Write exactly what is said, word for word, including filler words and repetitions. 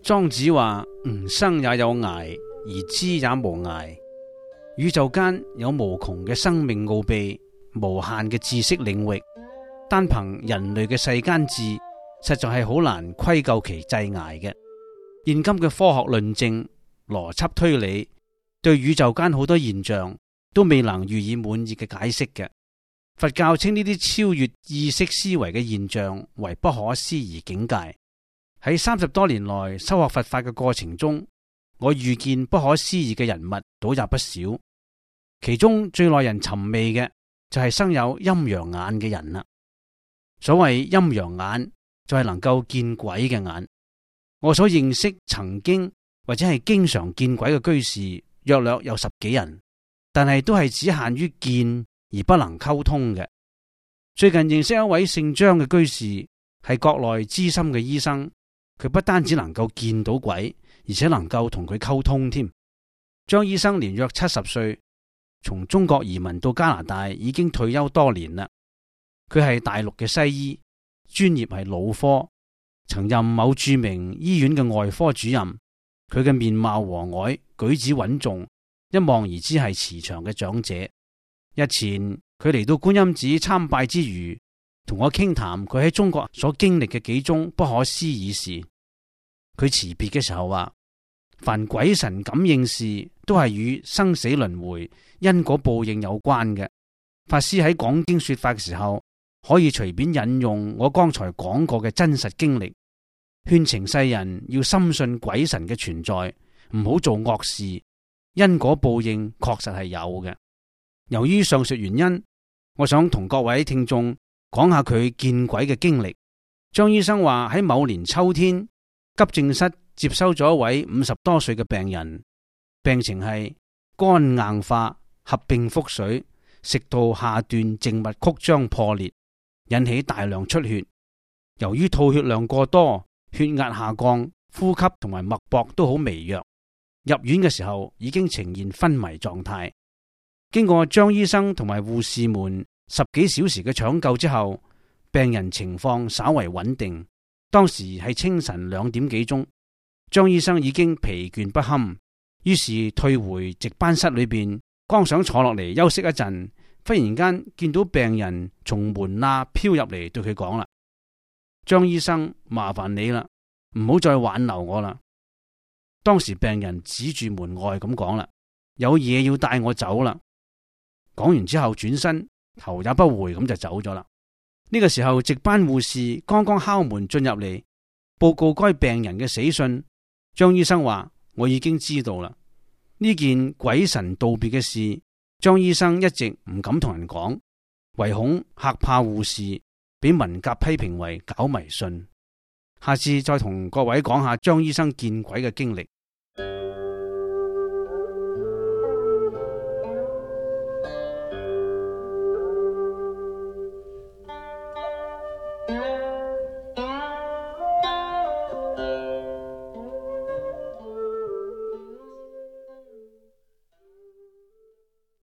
莊子話：吾生也有涯，而知也無涯。宇宙間有無窮嘅生命奧秘，無限嘅知識領域，單憑人類嘅世間智，實在係好難窺究其際涯嘅。現今嘅科學論證、邏輯推理，對宇宙間好多現象都未能予以滿意嘅解釋嘅。佛教稱呢啲超越意識思維嘅現象為不可思議境界。喺三十多年來修學佛法嘅過程中，我遇見不可思議嘅人物倒也不少，其中最耐人尋味嘅就係生有陰陽眼嘅人啦。所謂陰陽眼就係能夠見鬼嘅眼。我所認識曾經或者係經常見鬼嘅居士約略有十幾人，但係都係只限於見而不能溝通嘅。最近認識一位姓張嘅居士，係國內資深嘅醫生。佢不單止能夠見到鬼，而且能夠同佢溝通添。張醫生年約七十歲，從中國移民到加拿大已經退休多年啦。佢係大陸嘅西醫，專業係腦科，曾任某著名醫院嘅外科主任。佢嘅面貌和藹，舉止穩重，一望而知係慈祥嘅長者。日前佢嚟到觀音寺參拜之餘，同我傾談佢喺中國所經歷嘅幾宗不可思議事。佢辭別嘅時候話：凡鬼神感應事都係與生死輪迴、因果報應有關嘅。法師喺講經說法嘅時候，可以隨便引用我剛才講過嘅真實經歷，勸情世人要深信鬼神嘅存在，唔好做惡事。因果報應確實係有嘅。由於上述原因，我想同各位聽眾講下佢見鬼嘅經歷。張醫生話喺某年秋天，急症室接收咗一位五十多歲嘅病人，病情係肝硬化合併腹水，食道下段靜脈曲張破裂，引起大量出血。由於吐血量過多，血壓下降，呼吸同埋脈搏都好微弱。入院嘅時候已經呈現昏迷狀態。經過張醫生同埋護士們十幾小時嘅搶救之後，病人情況稍為穩定。當時係清晨兩點幾鐘，張醫生已經疲倦不堪，於是退回值班室裏邊，剛想坐落嚟休息一陣，忽然間見到病人從門罅飄入嚟，對佢講啦：張醫生，麻煩你啦，唔好再挽留我啦。當時病人指住門外咁講啦：有嘢要帶我走啦。講完之後轉身，頭也不回咁就走咗啦。呢個時候值班護士剛剛敲門進入嚟，報告該病人嘅死訊。張醫生話：我已經知道啦。呢件鬼神道別嘅事，張醫生一直唔敢同人講，唯恐嚇怕護士，俾文革批評為搞迷信。下次再同各位講下張醫生見鬼嘅經歷。